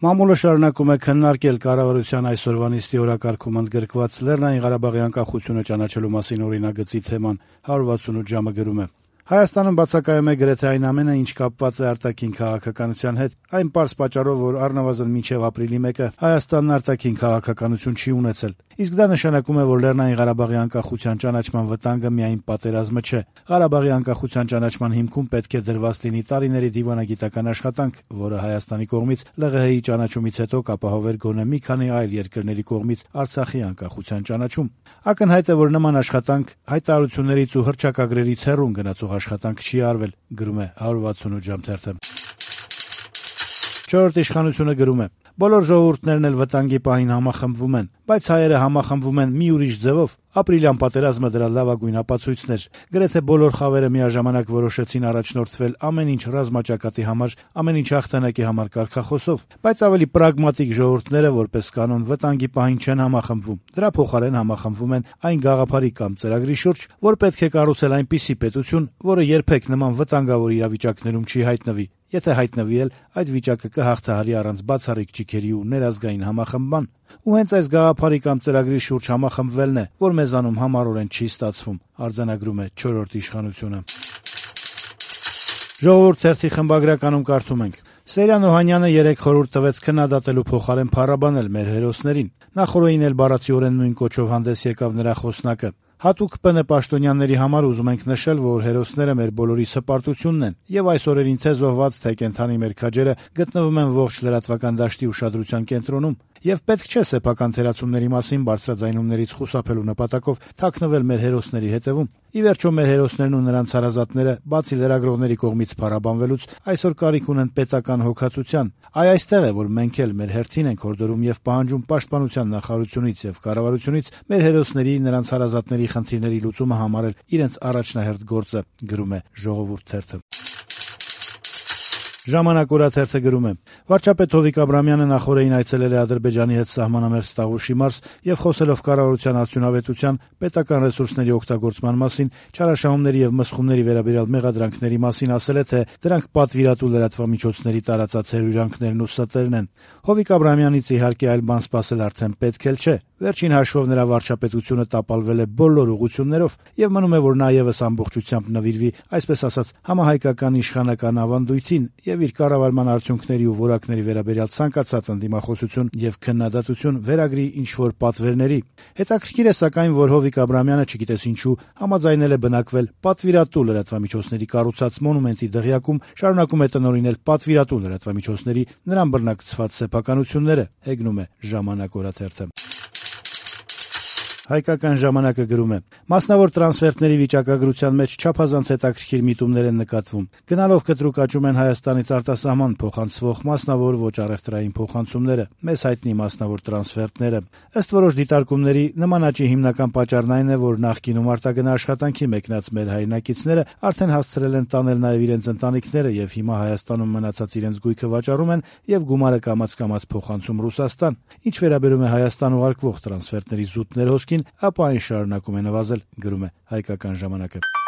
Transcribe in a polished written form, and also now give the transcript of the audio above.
Մամուլը շարունակում է քննարկել կառավարության այսօրվա նիստի օրակարգում ընդգրկված Լեռնային Ղարաբաղի անկախությունը ճանաչելու մասին օրինագծի թեման։ 168 ժամը գրում է. Հայաստանում բացակայում է գրեթե այն ամենը, ինչ կապված է արտաքին քաղաքականության հետ, այն պարզ պատճառով, որ առնվազն մինչև ապրիլի 1-ը Հայաստանն արտաքին քաղաքականություն չի ունեցել։ Իսկ դա նշանակում է, որ Լեռնային Ղարաբաղի անկախության ճանաչման վտանգը միայն պատերազմը չէ։ Ղարաբաղի անկախության ճանաչման հիմքում պետք է դրված լինի տարիների դիվանագիտական աշխատանք, որը Հայաստանի կողմից ԼՂՀ-ի ճանաչումից հետո կապահովեր գոնե մի քանի այլ երկրների կողմից Արցախի անկախության ճանաչում։ Ակնհայտ է, որ նման աշխատանք հայտարարություններից ու հռչակագրերից հեռուն գնացող աշխատանք չի արվել, գրում է 168 ժամ թերթը։ Չորրորդ իշխանությունը գրում է. Բոլոր ժողովուրդներն էլ վտանգի պահին համախմբվում են, բայց հայերը համախմբվում են մի ուրիշ ձևով։ Ապրիլյան պատերազմը դրա լավագույն ապացույցն էր։ Գրեթե բոլոր խավերը միաժամանակ որոշեցին առաջնորդվել ամեն ինչ ռազմաճակատի համար, ամեն ինչ հաղթանակի համար կարգախոսով, բայց ավելի պրագմատիկ ժողովուրդները որպես կանոն վտանգի պահին չեն համախմբվում։ Դրա փոխարեն համախմբվում են այն գաղափարի կամ ծրագրի շուրջ, որ պետք է կառուցել այնպիսի պետություն, որը երբեք նման վտանգավոր իրավիճակներում չի հայտնվի։ Եթե հայտնվի էլ, այդ վիճակը կհաղթահարի առանց բացառիկ ճիգերի ու ներազգային համախմբման։ Ու հենց այս գաղափարի կամ ծրագրի շուրջ համախմբվելն է, որ մեզանում համառորեն չի ստացվում, արձանագրում է չորրորդ իշխանությունը։ Ժողովուրդ թերթի խմբագրականում կարդում ենք. Սերյան Օհանյանը 3 խորհուրդ տվեց քննադատելու փոխարեն փառաբանել մեր հերոսներին։ Նախորդին էլ բառացիորեն նույն կոչով հանդես եկավ նրա խոսնակը։ Հատուկ ՊՆ պաշտոնյաների համար ուզում ենք նշել, որ հերոսները մեր բոլորի սպարտությունն են, եւ այս օրերին թե զոհված, թե կենդանի մեր քաջերը գտնվում են ողջ լրատվական դաշտի ուշադրության կենտրոնում, եւ պետք չէ սեփական թերացումների մասին բարձրաձայնումներից խուսափելու նպատակով թաքնվել մեր հերոսների հետևում։ Ի վերջո մեր հերոսներն ու նրանց հարազատները, բացի լրագրողների կողմից փառաբանվելուց, այսօր կարիք ունեն պետական հոգացության։ Այստեղ է, որ մենք էլ մեր հերթին ենք հորդորում եւ պահանջում պաշտպանության նախարարությունից եւ կառավարությունից մեր հերոսների, նրանց հարազատների խնդիրների լուծումը համարել իրենց առաջնահերթ գործը, գրում է Ժողովուրդ թերթը։ Ժամանակ օրաթերթը գրում է. Վարչապետ Հովիկ Աբրամյանը նախորդին այցելել է Ադրբեջանի հետ սահմանամերձ Տաղուշի մարզ եւ խոսելով կառավարության արդյունավետության, պետական ռեսուրսների օգտագործման մասին, չարաշահումների եւ մսխումների վերաբերյալ մեղադրանքների մասին ասել է, թե դրանք պատվիրատու լրատվամիջոցների տարածած հրույրանքներն ու ստերն են։ Հովիկ Աբրամյանից իհարկե այլ բան սպասել արդեն պետք էլ չէ։ Վերջին հաշվով նրա վարչապետությունը տապալվել է բոլոր ուղղություններով եւ մնում է, որ նա եւս ամբողջությամբ նվիրվի, այսպես ասած, համահայկական իշխանական ավանդույթին եւ իր կառավարման արդյունքների ու որակների վերաբերյալ ցանկացած ընդդիմախոսություն եւ քննադատություն վերագրի ինչ-որ պատվերների։ Հետաքրքիր է սակայն, որ Հովիկ Աբրամյանը չգիտես ինչու համաձայնել է բնակվել պատվիրատու լրատվամիջոցների կառուցած մոնումենտի դղյակում, շարունակում է տնօրինել պատվիրատու լրատվամիջոցների նրան բռնակցված սեփականությունները, հեգնում է Ժամանակ օրաթերթը։ Հայկական ժամանակը գրում է. Մասնավոր տրանսֆերտների վիճակագրության մեջ չափազանց հետաքրքիր միտումներ են նկատվում։ Գնալով կտրուկ աճում են Հայաստանից արտասահման փոխանցվող մասնավոր ոչ առևտրային փոխանցումները, մեզ հայտնի մասնավոր տրանսֆերտները։ Ըստ որոշ դիտարկումների, նման աճի հիմնական պատճառն այն է, որ նախկինում արտագնա աշխատանքի մեկնած մեր հայրենակիցները արդեն հասցրել են տանել նաև իրենց ընտանիքները եւ հիմա Հայաստանում մնացած իրենց գույքը վաճառում են եւ գումարը կամաց փոխանցում Ռուսաստան։ Ինչ վերաբերում է Հայաստան ուղարկվող տրանսֆերտների զուտ ներհոսքին, ապա այն շարունակում է նվազել, գրում է Հայկական ժամանակը։